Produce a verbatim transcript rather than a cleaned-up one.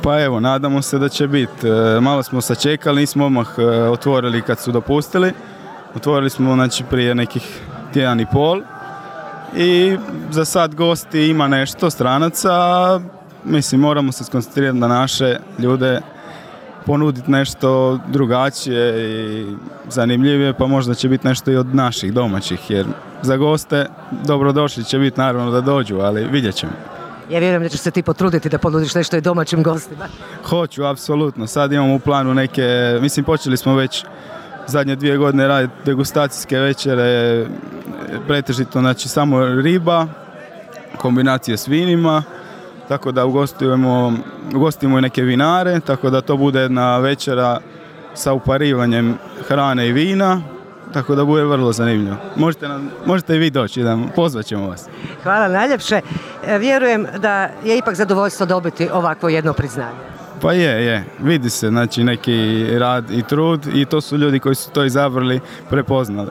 Pa evo, nadamo se da će biti. Malo smo sačekali, nismo odmah otvorili kad su dopustili. Otvorili smo znači, prije nekih tjedan i pol i za sad gosti ima nešto stranaca. Mislim, moramo se skoncentrirati na naše ljude, ponuditi nešto drugačije i zanimljivije, pa možda će biti nešto i od naših domaćih, jer za goste dobrodošli će biti naravno da dođu, ali vidjet ćemo. Ja vjerujem da ćeš se ti potruditi da ponudiš nešto i domaćim gostima. Hoću, apsolutno. Sad imamo u planu neke, mislim počeli smo već zadnje dvije godine raditi degustacijske večere, pretežito znači samo riba, kombinacije s vinima, tako da ugostujemo, ugostimo i neke vinare, tako da to bude jedna večera sa uparivanjem hrane i vina, tako da bude vrlo zanimljivo. Možete, nam, možete i vi doći, da pozvat ćemo vas. Hvala najljepše. Vjerujem da je ipak zadovoljstvo dobiti ovakvo jedno priznanje. Pa je, je. Vidi se znači neki rad i trud i to su ljudi koji su to izabrali, prepoznali.